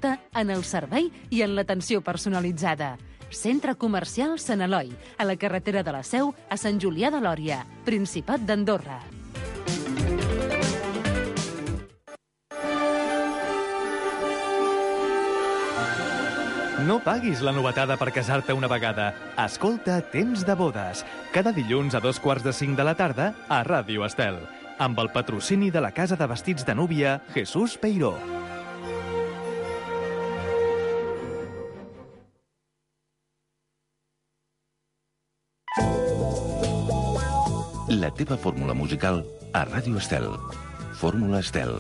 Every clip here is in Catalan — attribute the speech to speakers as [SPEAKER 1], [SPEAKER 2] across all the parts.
[SPEAKER 1] aposta en el servei i en l'atenció personalitzada. Centre Comercial Sant Eloi, a la carretera de la Seu, a Sant Julià de Lòria, Principat d'Andorra.
[SPEAKER 2] No paguis la novetada per casar-te una vegada. Escolta Temps de bodes, cada dilluns a 4:45 de la tarda a Ràdio Estel, amb el patrocini de la Casa de Vestits de Núvia Jesús Peiró.
[SPEAKER 3] La teva fórmula musical a Ràdio Estel. Fórmula Estel.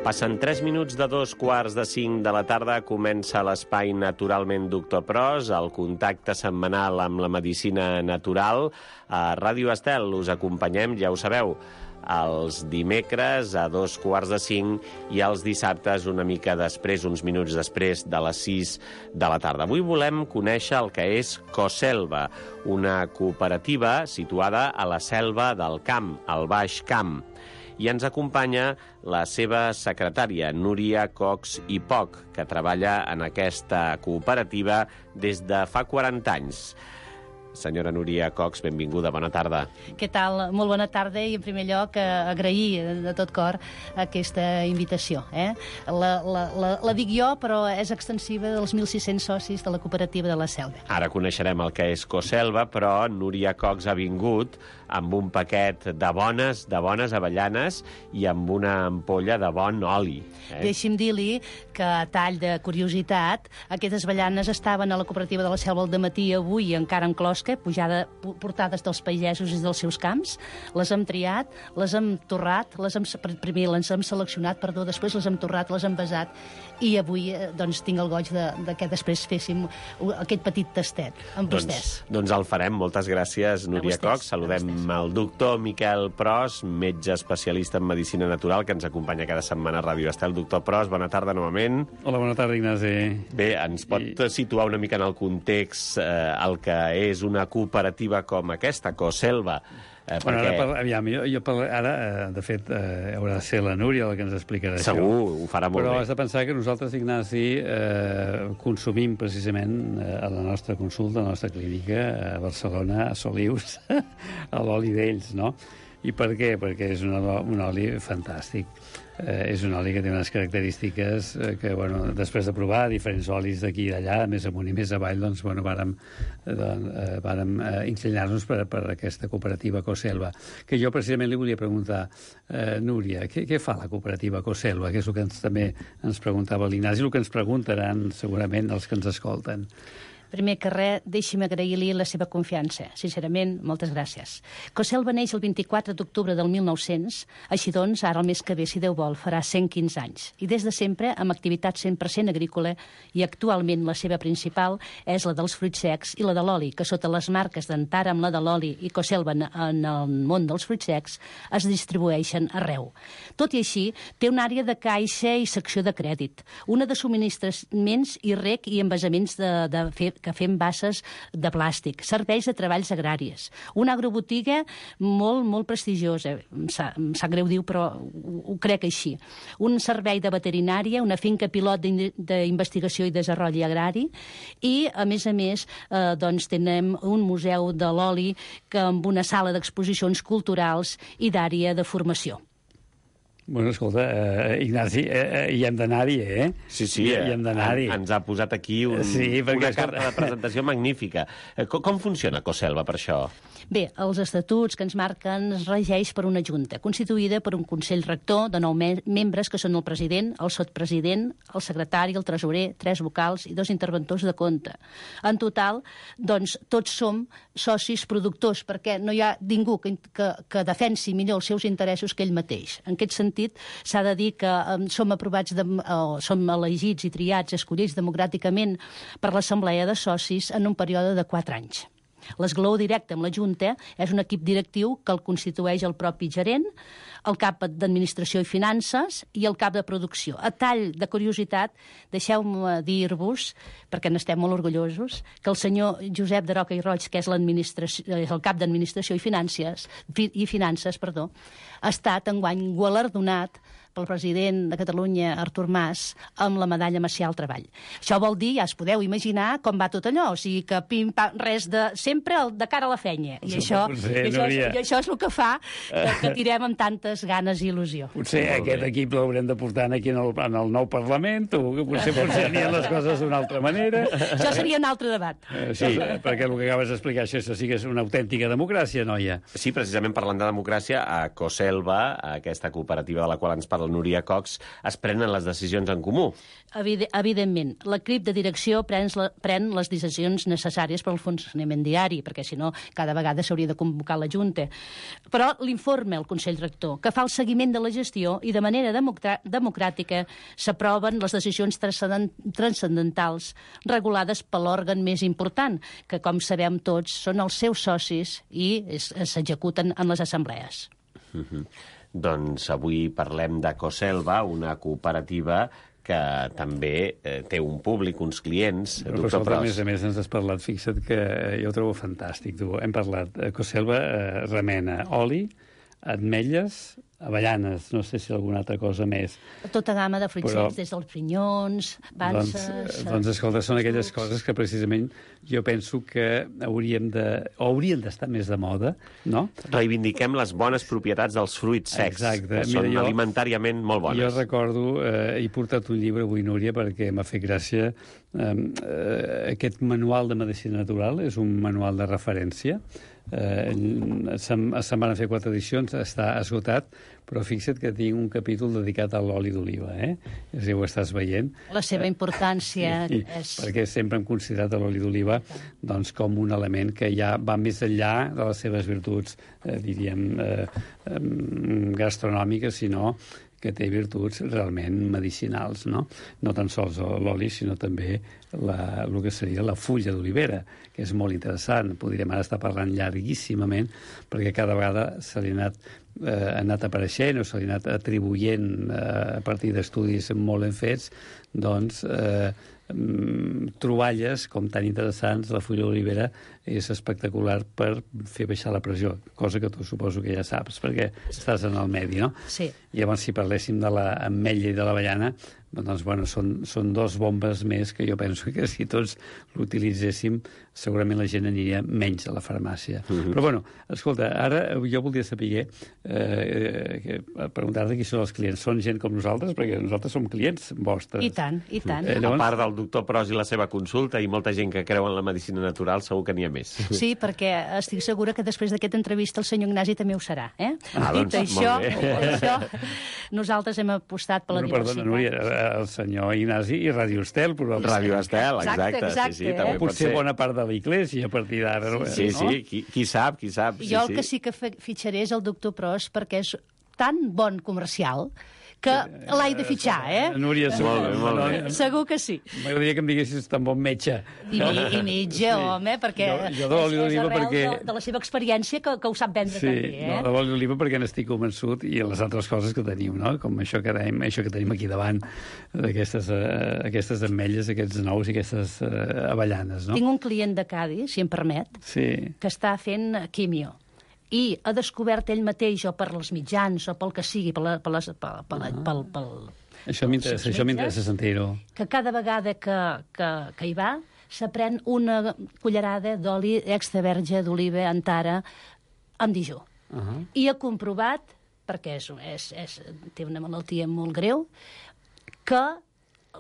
[SPEAKER 4] Passen 3 minuts de 4:45 de la tarda, comença l'espai Naturalment Doctor Pros, el contacte setmanal amb la medicina natural. A Ràdio Estel us acompanyem, ja ho sabeu, els dimecres a 4:45 i els dissabtes una mica després, uns minuts després de les 6 de la tarda. Avui volem conèixer el que és Coselva, una cooperativa situada a la Selva del Camp, al Baix Camp. I ens acompanya la seva secretària, Núria Cox i Poch, que treballa en aquesta cooperativa des de fa 40 anys. Senyora Núria Cox, benvinguda, bona tarda.
[SPEAKER 5] Què tal? Molt bona tarda i, en primer lloc, agrair de tot cor aquesta invitació. La dic jo, però és extensiva dels 1.600 socis de la cooperativa de la Selva.
[SPEAKER 4] Ara coneixerem el que és Coselva, però Núria Cox ha vingut amb un paquet de bones avellanes i amb una ampolla de bon oli.
[SPEAKER 5] Deixi'm dir-li que, a tall de curiositat, aquestes avellanes estaven a la cooperativa de la Selva al dematí avui encara en closca, portades dels pagesos i dels seus camps. Les hem triat, les hem torrat, primer les hem seleccionat, després les hem torrat, les hem besat, i avui tinc el goig que després féssim aquest petit tastet amb vostès.
[SPEAKER 4] Doncs el farem. Moltes gràcies, Núria Cox. Saludem el doctor Miquel Pros, metge especialista en medicina natural, que ens acompanya cada setmana a Ràdio Estel. Doctor Pros, bona tarda novament.
[SPEAKER 6] Hola, bona tarda, Ignasi.
[SPEAKER 4] Bé, ens pot situar una mica en el context el que és una cooperativa com aquesta, Coselva?
[SPEAKER 6] Ara, de fet, haurà de ser la Núria la que ens explicarà això.
[SPEAKER 4] Segur, ho farà molt bé.
[SPEAKER 6] Però has de pensar que nosaltres, Ignasi, consumim precisament a la nostra consulta, a la nostra clínica, a Barcelona, a Solius, a l'oli d'ells, no? I per què? Perquè és un oli fantàstic. És un oli que té unes característiques que, després de provar diferents olis d'aquí i d'allà, més amunt i més avall, vàrem inclinar-nos per aquesta cooperativa Coselva. Que jo precisament li volia preguntar, Núria, què fa la cooperativa Coselva? Que és el que també ens preguntava l'Ignasi, el que ens preguntaran segurament els que ens escolten.
[SPEAKER 5] Primer que res, deixi'm agrair-li la seva confiança. Sincerament, moltes gràcies. Coselva neix el 24 d'octubre del 1900, així doncs, ara el mes que ve, si Déu vol, farà 115 anys. I des de sempre, amb activitat 100% agrícola, i actualment la seva principal és la dels fruits secs i la de l'oli, que sota les marques d'Antara amb la de l'oli i Coselva en el món dels fruits secs es distribueixen arreu. Tot i així, té una àrea de caixa i secció de crèdit, una de subministraments i rec i envasaments de fer que fem basses de plàstic, serveis de treballs agraris, una agrobotiga molt prestigiosa, em sap greu dir, però ho crec així, un servei de veterinària, una finca pilot d'investigació i desenvolupament agrari, i, a més, doncs, tenim un museu de l'oli amb una sala d'exposicions culturals i d'àrea de formació.
[SPEAKER 6] Bueno, escolta, Ignasi, hi hem d'anar-hi, eh?
[SPEAKER 4] Sí,
[SPEAKER 6] hi hem d'anar-hi.
[SPEAKER 4] Ens ha posat aquí una carta de presentació magnífica. Com funciona Coselva per això?
[SPEAKER 5] Bé, els estatuts que ens marquen es regeix per una junta, constituïda per un consell rector de 9 membres, que són el president, el sotpresident, el secretari, el tresorer, 3 vocals i 2 interventors de compte. En total, doncs, tots som socis productors, perquè no hi ha ningú que defensi millor els seus interessos que ell mateix. En aquest sentit, s'ha de dir que som aprovats, som elegits i triats, escollits democràticament per l'Assemblea de Socis en un període de 4 anys. L'esglaó directe amb la Junta és un equip directiu que el constitueix el propi gerent, el cap d'Administració i Finances i el cap de Producció. A tall de curiositat, deixeu-me dir-vos, perquè n'estem molt orgullosos, que el senyor Josep de Roca i Roig, que és el cap d'Administració i Finances, ha estat enguany guardonat pel president de Catalunya, Artur Mas, amb la medalla Macià al Treball. Això vol dir, ja es podeu imaginar com va tot allò, o sigui que pim-pam, res de... sempre de cara a la feina. I això és el que fa que tirem amb tantes ganes i il·lusió.
[SPEAKER 6] Potser aquest equip l'haurem de portar aquí en el nou Parlament, o que potser funcionarien les coses d'una altra manera.
[SPEAKER 5] Això seria un altre debat.
[SPEAKER 6] Sí, perquè el que acabes d'explicar, això sí que és una autèntica democràcia, noia.
[SPEAKER 4] Sí, precisament parlant de democràcia, a Coselva, aquesta cooperativa de la qual ens parla Núria Cox, es prenen les decisions en comú.
[SPEAKER 5] Evidentment. L'equip de direcció pren les decisions necessàries per al funcionament diari, perquè si no, cada vegada s'hauria de convocar la Junta. Però l'informe al Consell Rector, que fa el seguiment de la gestió i de manera democràtica s'aproven les decisions transcendentals regulades per l'òrgan més important, que, com sabem tots, són els seus socis i s'executen en les assemblees.
[SPEAKER 4] Doncs avui parlem de Coselva, una cooperativa que també té un públic, uns clients.
[SPEAKER 6] Però a més ens has parlat, fixa't que jo ho trobo fantàstic. Hem parlat, Coselva remena oli, ametlles, avellanes, no sé si alguna altra cosa més.
[SPEAKER 5] Tota gamma de fruits secs, des dels pinyons, panses...
[SPEAKER 6] Doncs escolta, són aquelles coses que precisament jo penso que haurien d'estar més de moda, no?
[SPEAKER 4] Reivindiquem les bones propietats dels fruits secs, que són alimentàriament molt bones.
[SPEAKER 6] Jo recordo, he portat un llibre avui, Núria, perquè m'ha fet gràcia. Aquest manual de medicina natural és un manual de referència. Se'n van fer 4 edicions, està esgotat, però fixa't que tinc un capítol dedicat a l'oli d'oliva, si ho estàs veient.
[SPEAKER 5] La seva importància és...
[SPEAKER 6] Perquè sempre hem considerat l'oli d'oliva doncs, com un element que ja va més enllà de les seves virtuts, diríem, gastronòmiques, sinó que té virtuts realment medicinals, no? No tan sols l'oli, sinó també el que seria la fulla d'olivera, que és molt interessant. Podríem ara estar parlant llarguíssimament, perquè cada vegada se li ha anat apareixent o se li ha anat atribuint a partir d'estudis molt ben fets, doncs, troballes com tan interessants. La fulla d'olivera és espectacular per fer baixar la pressió, cosa que tu suposo que ja saps, perquè estàs en el medi, no?
[SPEAKER 5] Sí.
[SPEAKER 6] I llavors, si parléssim de l'ametlla i de l'avellana, doncs, bueno, són 2 bombes més que jo penso que si tots l'utilitzéssim, segurament la gent aniria menys a la farmàcia. Però, bueno, escolta, ara jo voldria saber, preguntar-te qui són els clients. Són gent com nosaltres? Perquè nosaltres som clients vostres.
[SPEAKER 5] I tant, i tant.
[SPEAKER 4] A part del doctor Pros i la seva consulta i molta gent que creu en la medicina natural, segur que n'hi ha més.
[SPEAKER 5] Sí, perquè estic segura que després d'aquesta entrevista el senyor Ignasi també ho serà,
[SPEAKER 4] Dit
[SPEAKER 5] això, nosaltres hem apostat per la diversitat.
[SPEAKER 6] Perdona, Núria, el senyor Ignasi i Radio Estel, probablement.
[SPEAKER 4] Radio Estel, exacte. Sí, també
[SPEAKER 6] potser bona part de l'Iglésia a partir d'ara.
[SPEAKER 4] Sí, qui sap.
[SPEAKER 5] Jo el que sí que fitxaré és el doctor Pros, perquè és tan bon comercial que l'hai de fitxar,
[SPEAKER 6] Núria,
[SPEAKER 4] molt bé.
[SPEAKER 5] Segur que sí.
[SPEAKER 6] M'agradaria que em diguessis tan bon metge.
[SPEAKER 5] I metge, home, perquè
[SPEAKER 6] Jo de l'oli d'oliva perquè...
[SPEAKER 5] de la seva experiència que ho sap vendre també,
[SPEAKER 6] no, de l'oli d'oliva perquè n'estic convençut, i les altres coses que tenim, no? Com això que tenim aquí davant, aquestes ametlles, aquests nous i aquestes avellanes, no?
[SPEAKER 5] Tinc un client de Cádiz, si em permet, que està fent quimio, i ha descobert ell mateix, o per els mitjans, o pel que sigui,
[SPEAKER 6] Això m'interessa sentir-ho.
[SPEAKER 5] Que cada vegada que hi va, s'aprèn una cullerada d'oli extra verge d'oliva Antara amb dijú. I ha comprovat, perquè té una malaltia molt greu, que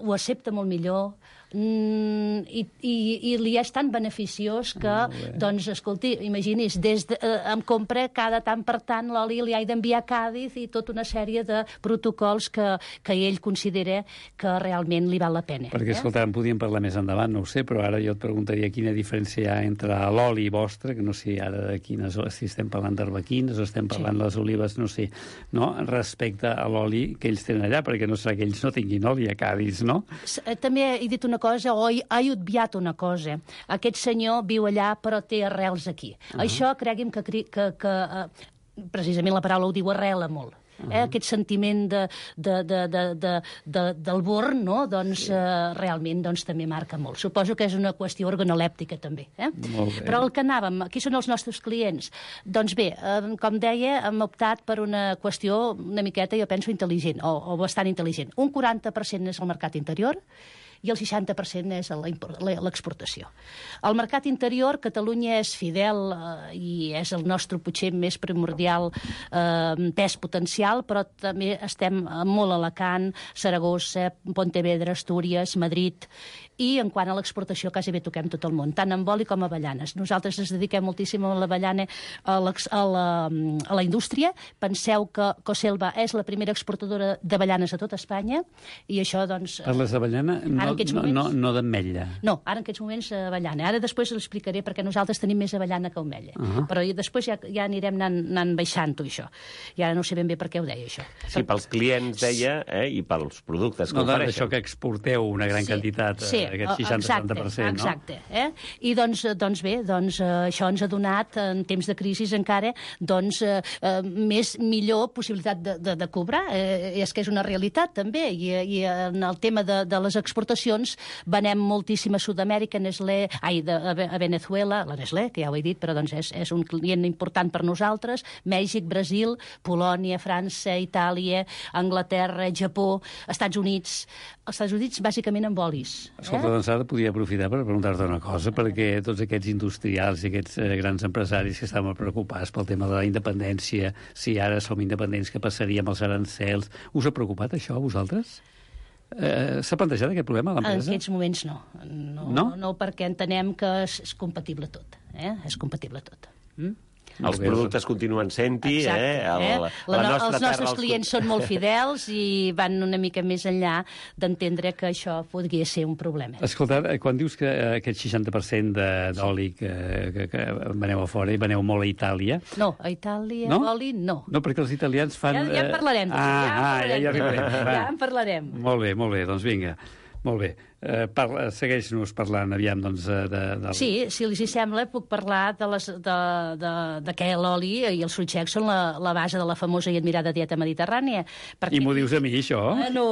[SPEAKER 5] ho accepta molt millor, i li és tan beneficiós que, doncs, escolti, imagini's, em compra cada tant per tant l'oli, li he d'enviar a Càdiz i tota una sèrie de protocols que ell considera que realment li val la pena.
[SPEAKER 6] Perquè, escolta, en podíem parlar més endavant, no ho sé, però ara jo et preguntaria quina diferència hi ha entre l'oli vostre, que no sé ara de quines, si estem parlant d'arbequines o estem parlant de les olives, no sé, no? Respecte a l'oli que ells tenen allà, perquè no serà que ells no tinguin oli a Càdiz, no?
[SPEAKER 5] També he dit una cosa, o he obviat una cosa. Aquest senyor viu allà, però té arrels aquí. Això, cregui'm que precisament la paraula ho diu, arrela molt. Aquest sentiment del born, no? Doncs realment també marca molt. Suposo que és una qüestió organolèptica, també. Però el que anàvem, qui són els nostres clients? Doncs bé, com deia, hem optat per una qüestió una miqueta, jo penso, intel·ligent, o bastant intel·ligent. Un 40% és el mercat interior, i el 60% és l'exportació. Al mercat interior, Catalunya és fidel i és el nostre, potser, més primordial pes potencial, però també estem molt a Alacant, Saragossa, Pontevedra, Astúries, Madrid, i en quant a l'exportació quasi toquem tot el món, tant amb oli com avellanes. Nosaltres ens dediquem moltíssim a l'avellana, a la indústria. Penseu que Coselva és la primera exportadora d'avellanes a tot Espanya, i això, doncs...
[SPEAKER 6] Parles d'avellana, no d'ametlla.
[SPEAKER 5] No, ara en aquests moments avellana. Ara després l'explicaré perquè nosaltres tenim més avellana que ametlla. Però després ja anirem anant baixant-ho, això. I ara no sé ben bé per què ho deia, això.
[SPEAKER 4] Sí, pels clients, deia, i pels productes que ofereixen.
[SPEAKER 6] Això que exporteu una gran quantitat, aquest 60-70%, no?
[SPEAKER 5] Exacte. I doncs bé, això ens ha donat, en temps de crisi encara, millor possibilitat de cobrar. És que és una realitat, també. I en el tema de les exportacions venem moltíssim a Sud-amèrica, a Venezuela, la Nestlé, que ja ho he dit, però és un client important per nosaltres, Mèxic, Brasil, Polònia, França, Itàlia, Anglaterra, Japó, Estats Units. Els Estats Units, bàsicament, amb olis.
[SPEAKER 6] Escolta, doncs ara podria aprofitar per preguntar-te una cosa, perquè tots aquests industrials i aquests grans empresaris que estaven preocupats pel tema de la independència, si ara som independents, què passaria amb els arancels? Us ha preocupat això a vosaltres? S'ha plantejat aquest problema a l'empresa?
[SPEAKER 5] En aquests moments no. No, perquè entenem que és compatible tot. És compatible tot.
[SPEAKER 4] Els productes continuen sent-hi,
[SPEAKER 5] Els nostres clients són molt fidels i van una mica més enllà d'entendre que això podria ser un problema.
[SPEAKER 6] Escolta, quan dius que aquest 60% d'oli que veneu a fora i veneu molt a Itàlia...
[SPEAKER 5] No, a Itàlia oli no.
[SPEAKER 6] No, perquè els italians fan...
[SPEAKER 5] Ja en parlarem. Ja en parlarem.
[SPEAKER 6] Molt bé, doncs vinga. Molt bé. Segueix-nos parlant, aviam, doncs...
[SPEAKER 5] Sí, si els hi sembla, puc parlar de què l'oli i els fruitxecs són la base de la famosa i admirada dieta mediterrània.
[SPEAKER 6] I m'ho dius a mi, això?
[SPEAKER 5] No,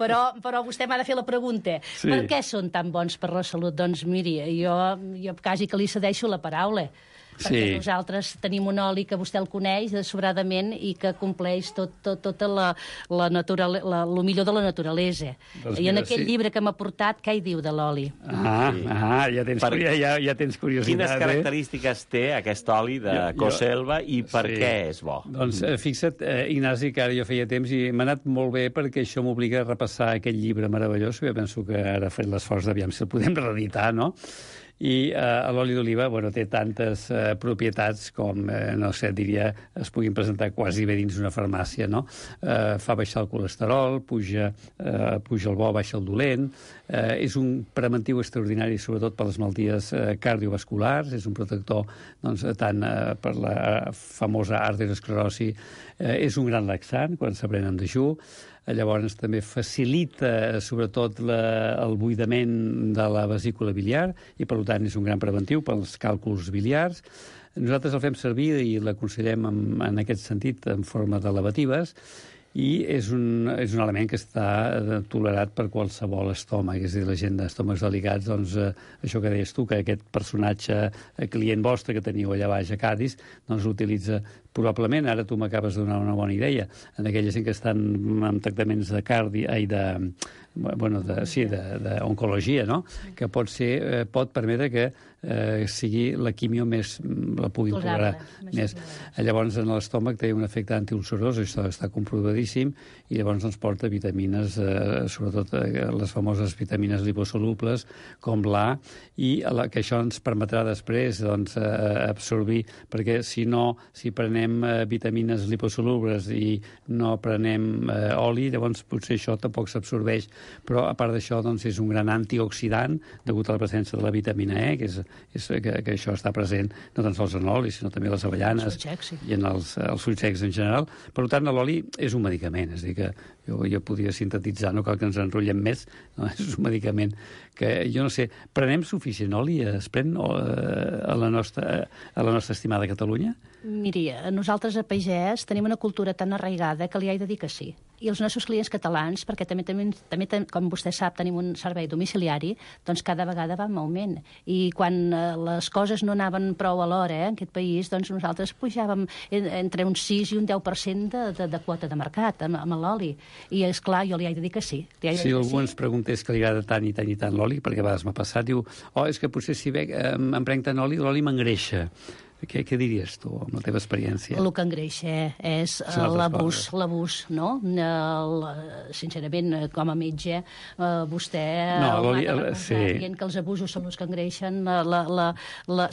[SPEAKER 5] però vostè m'ha de fer la pregunta. Per què són tan bons per la salut? Doncs miri, jo quasi que li cedeixo la paraula. Perquè nosaltres tenim un oli que vostè el coneix sobradament i que compleix tota el millor de la naturalesa. I en aquell llibre que m'ha portat, què hi diu de l'oli?
[SPEAKER 6] Ja tens curiositat.
[SPEAKER 4] Quines característiques té aquest oli de Coselva i per què és bo?
[SPEAKER 6] Doncs fixa't, Ignasi, que ara jo feia temps i m'ha anat molt bé perquè això m'obliga a repassar aquest llibre meravellós. Jo penso que ara faré l'esforç d'aviam si el podem reeditar, no? I l'oli d'oliva té tantes propietats com, no sé, diria, es puguin presentar quasi bé dins una farmàcia, no? Fa baixar el colesterol, puja el bo, baixa el dolent, és un preventiu extraordinari, sobretot per les malalties cardiovasculars, és un protector tant per la famosa arteriosclerosi, és un gran laxant quan s'aprèn en dejú, llavors també facilita sobretot el buidament de la vesícula biliar i per tant és un gran preventiu pels càlculs biliars. Nosaltres el fem servir i l'aconsellem en aquest sentit en forma de lavatives i és un element que està tolerat per qualsevol estómac, és a dir, la gent d'estómacs delicats, doncs això que deies tu, que aquest personatge client vostre que teniu allà baix a Cádiz, doncs l'utilitza probablement, ara tu m'acabes de donar una bona idea, en aquella gent que estan amb tractaments d'oncologia, no? Que pot permetre que sigui la quimio la pugui tolerar més. Llavors, en l'estómac té un efecte antiulcerós, això està comprovadíssim, i llavors ens porta vitamines, sobretot les famoses vitamines liposolubles, com l'A, i que això ens permetrà després absorbir, perquè si prenem vitamines liposolubles i no prenem oli, llavors potser això tampoc s'absorbeix, però a part d'això és un gran antioxidant degut a la presència de la vitamina E, que això està present no tan sols en l'oli, sinó també a les avellanes i en els fruits secs en general. Per tant, l'oli és un medicament, és a dir, que jo podria sintetitzar, no cal que ens enrotllem més, no? És un medicament que, jo no sé, prenem suficient oli, es pren a la nostra estimada Catalunya?
[SPEAKER 5] Miri, nosaltres a Pagès tenim una cultura tan arraigada que li haig de dir que sí. I els nostres clients catalans, perquè també com vostè sap, tenim un servei domiciliari, doncs cada vegada va en augment. I quan les coses no anaven prou a l'hora en aquest país, doncs nosaltres pujàvem entre un 6 i un 10% de quota de mercat amb l'oli. I, esclar, jo li haig de dir que sí.
[SPEAKER 6] Si algú ens preguntés que li agrada tant i tant i tant l'oli, perquè a vegades m'ha passat, diu, és que potser si em prenc tant oli, l'oli m'engreixa. Què diries tu, amb la teva experiència?
[SPEAKER 5] El que engreixa és l'abús, no? Sincerament, com a metge, vostè dient que els abusos són els que engreixen.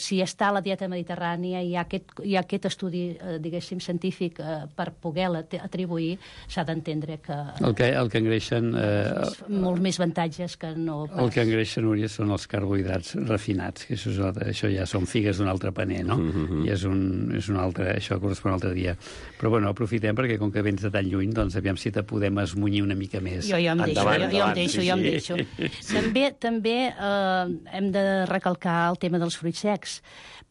[SPEAKER 5] Si està a la dieta mediterrània i hi ha aquest estudi, diguéssim, científic per poder-la atribuir, s'ha d'entendre que...
[SPEAKER 6] El que engreixen...
[SPEAKER 5] Molts més avantatges que no pas.
[SPEAKER 6] El que engreixen, Núria, són els carbohidrats refinats, que això ja són figues d'un altre paner, no? I és un altre, això correspon a un altre dia. Però bueno, aprofitem perquè com que vens de tan lluny, doncs aviam si te podem esmunyir una mica més.
[SPEAKER 5] Jo em deixo. També hem de recalcar el tema dels fruits secs,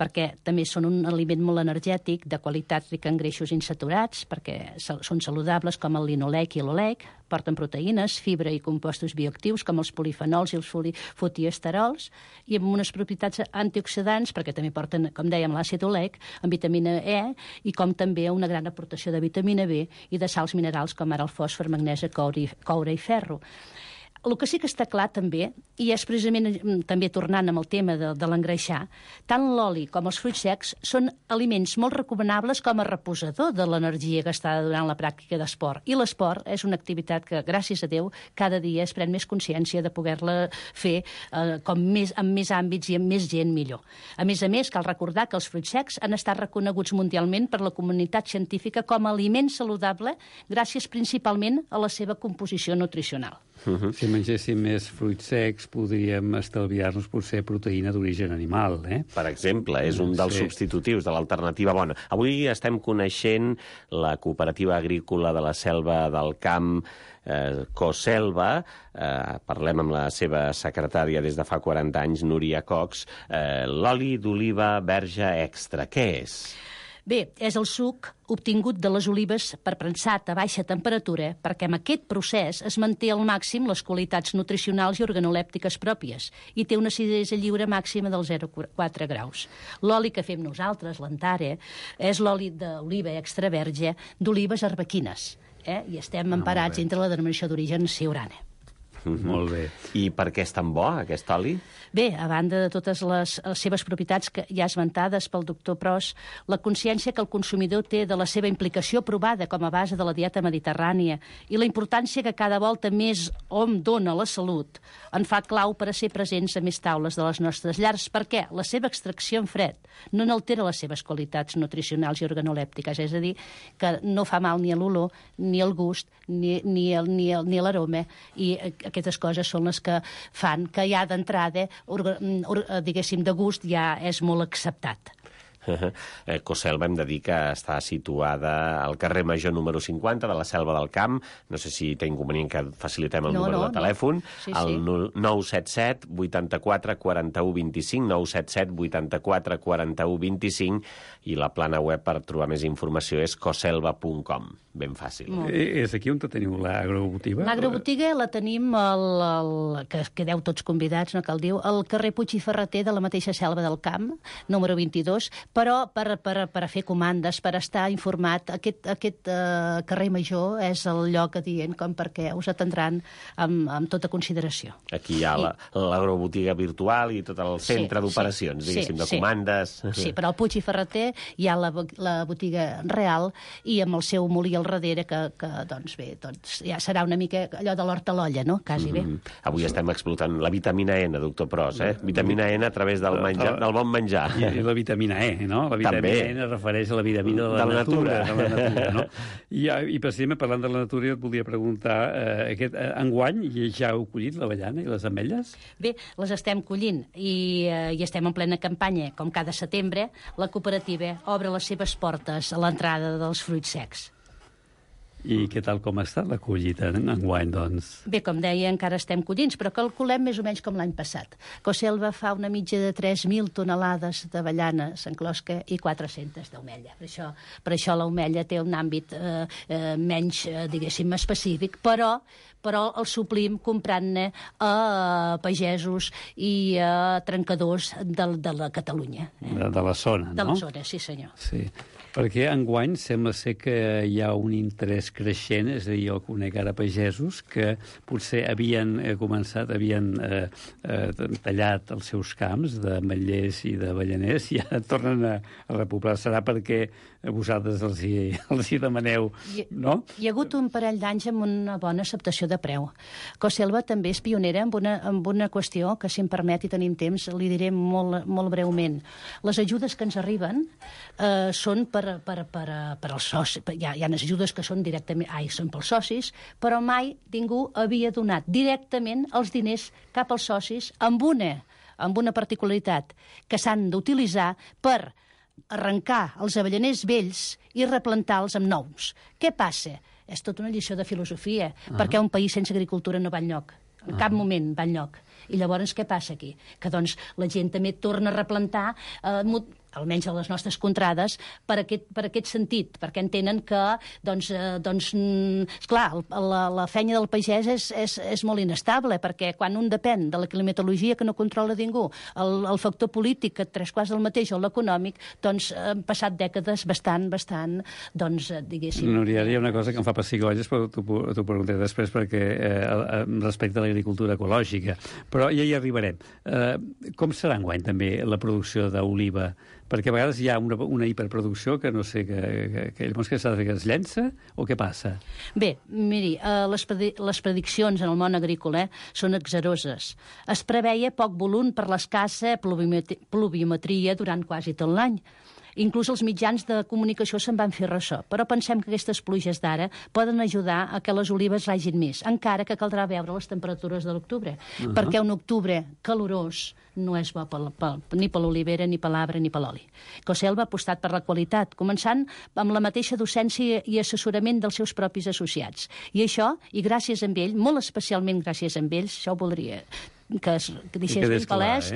[SPEAKER 5] perquè també són un aliment molt energètic, de qualitat rica en greixos insaturats, perquè són saludables com el linolec i l'olec, porten proteïnes, fibra i compostos bioactius com els polifenols i els fotioesterols, i amb unes propietats antioxidants, perquè també porten, com dèiem, l'àcid olec, amb vitamina E, i com també una gran aportació de vitamina B i de sals minerals com ara el fòsfor, magnesi, coure i ferro. El que sí que està clar també, i és precisament també tornant amb el tema de l'engreixar, tant l'oli com els fruits secs són aliments molt recomanables com a reposador de l'energia gastada durant la pràctica d'esport. I l'esport és una activitat que, gràcies a Déu, cada dia es pren més consciència de poder-la fer amb més àmbits i amb més gent millor. A més, cal recordar que els fruits secs han estat reconeguts mundialment per la comunitat científica com a aliment saludable gràcies principalment a la seva composició nutricional.
[SPEAKER 6] Si mengéssim més fruits secs, podríem estalviar-nos potser proteïna d'origen animal,
[SPEAKER 4] Per exemple, és un dels substitutius de l'alternativa bona. Avui estem coneixent la cooperativa agrícola de la Selva del Camp, Coselva, parlem amb la seva secretària des de fa 40 anys, Núria Cox, l'oli d'oliva verge extra. Què és?
[SPEAKER 5] Bé, és el suc obtingut de les olives per prensat a baixa temperatura perquè amb aquest procés es manté al màxim les qualitats nutricionals i organolèptiques pròpies i té una acidesa lliure màxima del 0,4 graus. L'oli que fem nosaltres, l'Antare, és l'oli d'oliva extra verge d'olives arbequines i estem emparats entre la denominació d'origen Siurana.
[SPEAKER 6] Molt bé.
[SPEAKER 4] I per què és tan bo, aquest oli?
[SPEAKER 5] Bé, a banda de totes les seves propietats que ja esmentades pel doctor Pros, la consciència que el consumidor té de la seva implicació provada com a base de la dieta mediterrània i la importància que cada volta més hom dona a la salut en fa clau per a ser presents a més taules de les nostres llars, perquè la seva extracció en fred no n'altera les seves qualitats nutricionals i organolèptiques, és a dir, que no fa mal ni a l'olor, ni al gust, ni a l'aroma, i aquestes coses són les que fan que ja d'entrada, diguéssim, de gust ja és molt acceptat.
[SPEAKER 4] Coselva hem de dir que està situada al carrer Major número 50 de la Selva del Camp. No sé si té inconvenient que facilitem el número de telèfon.
[SPEAKER 5] Sí,
[SPEAKER 4] el 977 84 41 25, 977 84 41 25, i la plana web per trobar més informació és coselva.com. Ben fàcil.
[SPEAKER 6] És aquí on teniu l'agrobotiga?
[SPEAKER 5] L'agrobotiga la tenim, que quedeu tots convidats, no cal dir, al carrer Puig i Ferreter de la mateixa Selva del Camp, número 22, però per fer comandes, per estar informat, aquest carrer Major és el lloc adient com perquè us atendran amb tota consideració.
[SPEAKER 4] Aquí hi ha l'agrobotiga virtual i tot el centre d'operacions, diguéssim, de comandes.
[SPEAKER 5] Sí, però al Puig i Ferreter hi ha la botiga real i amb el seu molí al darrere que doncs bé, ja serà una mica allò de l'hort a l'olla, no? Quasi bé.
[SPEAKER 4] Avui estem explotant la vitamina N, doctor Pros, Vitamina N a través del bon menjar.
[SPEAKER 6] I la vitamina E, no? La vitamina E es refereix a la vitamina de la natura, no? I precisament parlant de la natura, jo et volia preguntar, enguany ja heu collit l'avellana i les ametlles?
[SPEAKER 5] Bé, les estem collint i estem en plena campanya. Com cada setembre, la cooperativa obre les seves portes a l'entrada dels fruits secs.
[SPEAKER 6] I què tal com ha estat la collita enguany, doncs?
[SPEAKER 5] Bé, com deia, encara estem collint, però calculem més o menys com l'any passat. Coselva fa una mitja de 3.000 tonelades d'avellana s'enclosca i 400 d'ametlla. Per això l'ametlla té un àmbit menys, diguéssim, específic, però el suplim comprant-ne a pagesos i a trencadors de la Catalunya.
[SPEAKER 6] De la zona, no?
[SPEAKER 5] De la zona, sí senyor.
[SPEAKER 6] Sí, perquè enguany sembla ser que hi ha un interès creixent, és a dir, jo conec ara pagesos que potser havien tallat els seus camps d'ametllers i d'avellaners i ara tornen a repoblar. Serà perquè vosaltres els hi demaneu, no?
[SPEAKER 5] Hi ha hagut un parell d'anys amb una bona acceptació de preu. Coselva també és pionera amb una qüestió que, si em permet i tenim temps, li diré molt, molt breument. Les ajudes que ens arriben són per als socis. Hi ha ajudes que són són pels socis, però mai ningú havia donat directament els diners cap als socis amb una particularitat que s'han d'utilitzar per arrencar els avellaners vells i replantar-los amb nous. Què passa? És tota una lliçó de filosofia, perquè un país sense agricultura no va enlloc. En cap moment va enlloc. I llavors què passa aquí? Que doncs la gent també torna a replantar, almenys a les nostres contrades, per aquest sentit, perquè entenen que, esclar, la feina del pagès és molt inestable, perquè quan un depèn de la climatologia que no controla ningú, el factor polític, que 3/4 del mateix, o l'econòmic, doncs han passat dècades bastant, diguéssim...
[SPEAKER 6] Núria, hi ha una cosa que em fa pessigolles, però t'ho preguntaré després, perquè respecte a l'agricultura ecològica, però ja hi arribarem. Com serà enguany també la producció d'oliva? Perquè a vegades hi ha una hiperproducció que no sé, que llavors què s'ha de fer, que es llença o què passa?
[SPEAKER 5] Bé, miri, les prediccions en el món agrícola són exeroses. Es preveia poc volum per l'escassa pluviometria durant quasi tot l'any. Inclús els mitjans de comunicació se'n van fer ressò, però pensem que aquestes pluges d'ara poden ajudar a que les olives ragin més, encara que caldrà veure les temperatures de l'octubre, perquè un octubre calorós no és bo ni per l'olivera, ni per l'arbre, ni per l'oli. Coselva ha apostat per la qualitat, començant amb la mateixa docència i assessorament dels seus propis associats. I això, i gràcies a ell, molt especialment gràcies a ells, això ho voldria que deixés ben palès,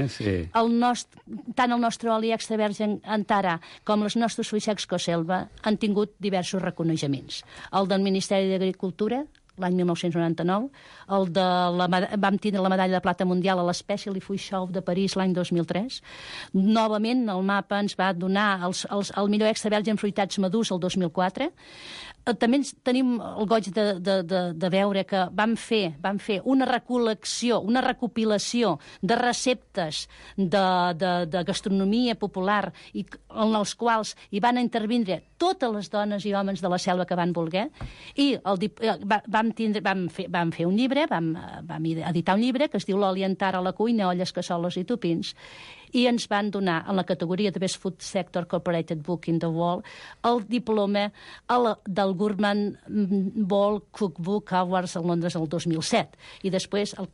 [SPEAKER 5] tant el nostre oli extra verge Antara com els nostres fruits secs Coselva han tingut diversos reconeixements. El del Ministeri d'Agricultura, l'any 1999, vam tindre la medalla de plata mundial a l'Special Food Show de París l'any 2003. Novament, el mapa ens va donar el millor extra verge en fruitats madurs el 2004. També tenim el goig de veure que vam fer una recol·lecció, una recopilació de receptes de gastronomia popular en els quals hi van intervindre totes les dones i homes de la selva que van voler, i vam fer un llibre, vam editar un llibre que es diu L'oli Antara a la cuina, olles, cassoles i tupins, i ens van donar, en la categoria de Best Food Sector Corporated Book in the World, el diploma del Gourmand World Cookbook Awards a Londres el 2007. I després el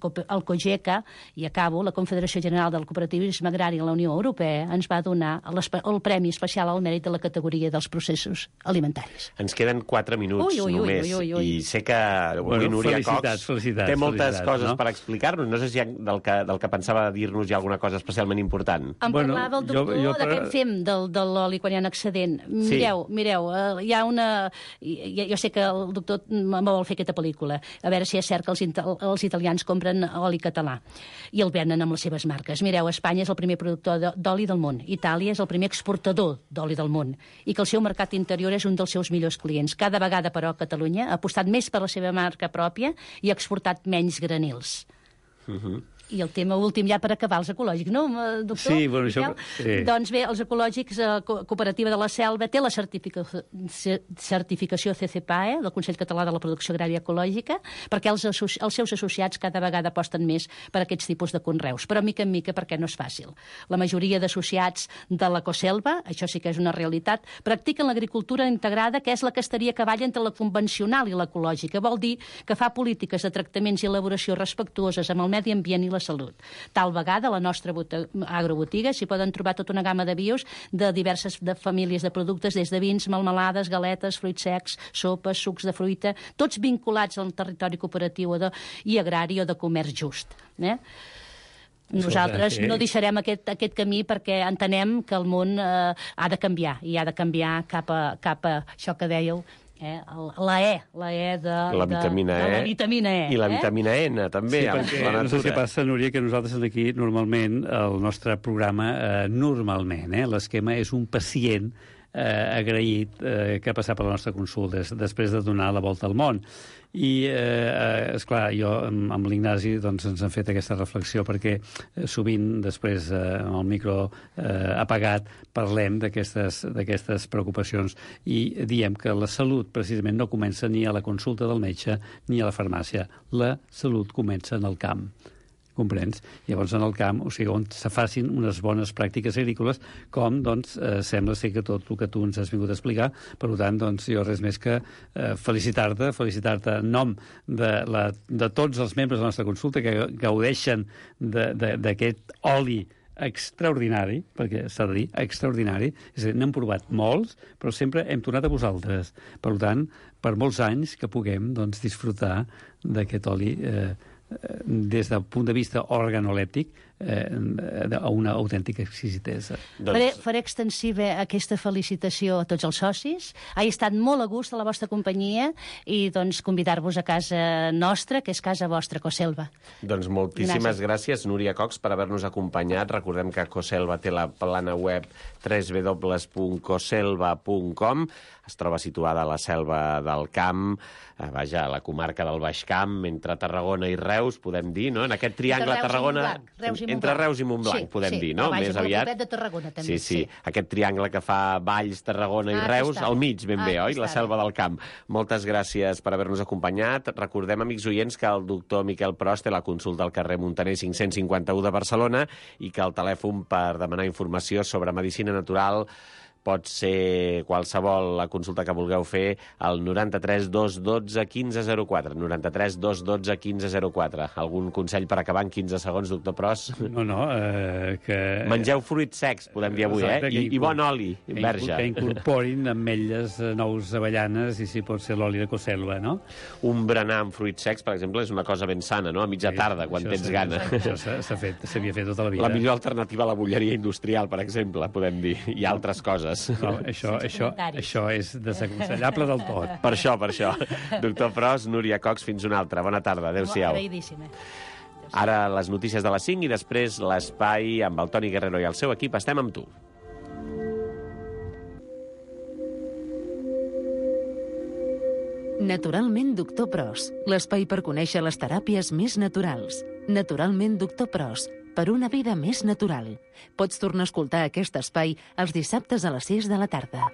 [SPEAKER 5] COGECA, i acabo, la Confederació General del Cooperativisme Agrari a la Unió Europea, ens va donar el Premi Especial al Mèrit de la categoria dels processos alimentaris.
[SPEAKER 4] Ens queden 4 minuts només, i sé que avui Núria Cox té moltes coses per explicar-nos. No sé si del que pensava dir-nos hi ha alguna cosa especialment important.
[SPEAKER 5] Em parlava el doctor d'aquest fem de l'oli quan hi ha un excedent. Mireu, hi ha una... Jo sé que el doctor me vol fer aquesta pel·lícula, a veure si és cert que els italians compren oli català i el venen amb les seves marques. Mireu, Espanya és el primer productor d'oli del món, Itàlia és el primer exportador d'oli del món i que el seu mercat interior és un dels seus millors clients. Cada vegada, però, Catalunya ha apostat més per la seva marca pròpia i ha exportat menys granils. I el tema últim, ja per acabar, els ecològics, no, doctor?
[SPEAKER 6] Sí, bueno, això... Sí.
[SPEAKER 5] Doncs bé, els ecològics, Cooperativa de la Selva, té la certificació CCPAE, del Consell Català de la Producció Agrària Ecològica, perquè els seus associats cada vegada aposten més per aquests tipus de conreus. Però, mica en mica, perquè no és fàcil. La majoria d'associats de l'Ecoselva, això sí que és una realitat, practiquen l'agricultura integrada, que és la que estaria a cavall entre la convencional i l'ecològica. Vol dir que fa polítiques de tractaments i elaboració respectuoses amb el medi ambient i la salut. Tal vegada a la nostra agrobotiga s'hi poden trobar tota una gamma de bios de diverses famílies de productes, des de vins, melmelades, galetes, fruits secs, sopes, sucs de fruita, tots vinculats al territori cooperatiu i agrari o de comerç just. Nosaltres no deixarem aquest camí perquè entenem que el món ha de canviar, i ha de canviar cap a això que dèieu, la vitamina E.
[SPEAKER 4] I la vitamina N, també.
[SPEAKER 6] Sí, perquè no sé si passa, Núria, que nosaltres aquí, normalment, el nostre programa, normalment, l'esquema és un pacient agraït que ha passat per la nostra consulta després de donar la volta al món. I, esclar, jo amb l'Ignasi doncs, ens hem fet aquesta reflexió perquè sovint després amb el micro apagat parlem d'aquestes preocupacions i diem que la salut precisament no comença ni a la consulta del metge ni a la farmàcia. La salut comença en el camp. Comprens? Llavors, en el camp, o sigui, on se facin unes bones pràctiques agrícoles, com, doncs, sembla ser que tot el que tu ens has vingut a explicar. Per tant, doncs, jo res més que felicitar-te en nom de tots els membres de la nostra consulta que gaudeixen d'aquest oli extraordinari, perquè s'ha de dir, extraordinari. És a dir, n'hem provat molts, però sempre hem tornat a vosaltres. Per tant, per molts anys que puguem, doncs, disfrutar d'aquest oli des del punt de vista organolèptic a una autèntica exquisitesa.
[SPEAKER 5] Faré extensiva aquesta felicitació a tots els socis. Ha estat molt a gust a la vostra companyia i doncs convidar-vos a casa nostra, que és casa vostra, Ecoselva.
[SPEAKER 4] Doncs moltíssimes gràcies, Núria Cox, per haver-nos acompanyat. Recordem que Ecoselva té la plana web www.coselva.com. Es troba situada a la Selva del Camp, vaja, a la comarca del Baix Camp, entre Tarragona i Reus, podem dir, no? En aquest triangle Tarragona... Entre Reus i Montblanc, podem dir, no?
[SPEAKER 5] Més aviat. De Tarragona, també.
[SPEAKER 4] Sí. Aquest triangle que fa Valls, Tarragona i Reus, al mig, ben bé, oi? La Selva del Camp. Moltes gràcies per haver-nos acompanyat. Recordem, amics oients, que el doctor Miquel Pros té la consulta al carrer Muntaner 551 de Barcelona i que el telèfon per demanar informació sobre medicina natural pot ser qualsevol la consulta que vulgueu fer al 93 212 1504. 93 212 1504. Algun consell per acabar en 15 segons, doctor Pros?
[SPEAKER 6] No, que...
[SPEAKER 4] Mengeu fruits secs, podem dir avui, I bon oli, verge.
[SPEAKER 6] Que incorporin ametlles, nous avellanes i, si pot ser, l'oli de Ecoselva, no?
[SPEAKER 4] Un berenar amb fruits secs, per exemple, és una cosa ben sana, no? A mitja tarda, quan tens gana.
[SPEAKER 6] Això s'havia fet tota la vida.
[SPEAKER 4] La millor alternativa a la bolleria industrial, per exemple, podem dir, i altres coses.
[SPEAKER 6] No, això és desaconsellable del tot.
[SPEAKER 4] Per això. Doctor Pros, Núria Cox, fins una altra. Bona tarda, adéu-siau.
[SPEAKER 5] Agraïdíssima.
[SPEAKER 4] Ara les notícies de les 5 i després l'espai amb el Toni Guerrero i el seu equip. Estem amb tu.
[SPEAKER 1] Naturalment, doctor Pros. L'espai per conèixer les teràpies més naturals. Naturalment, doctor Pros. Per una vida més natural. Pots tornar a escoltar aquest espai els dissabtes a les 6 de la tarda.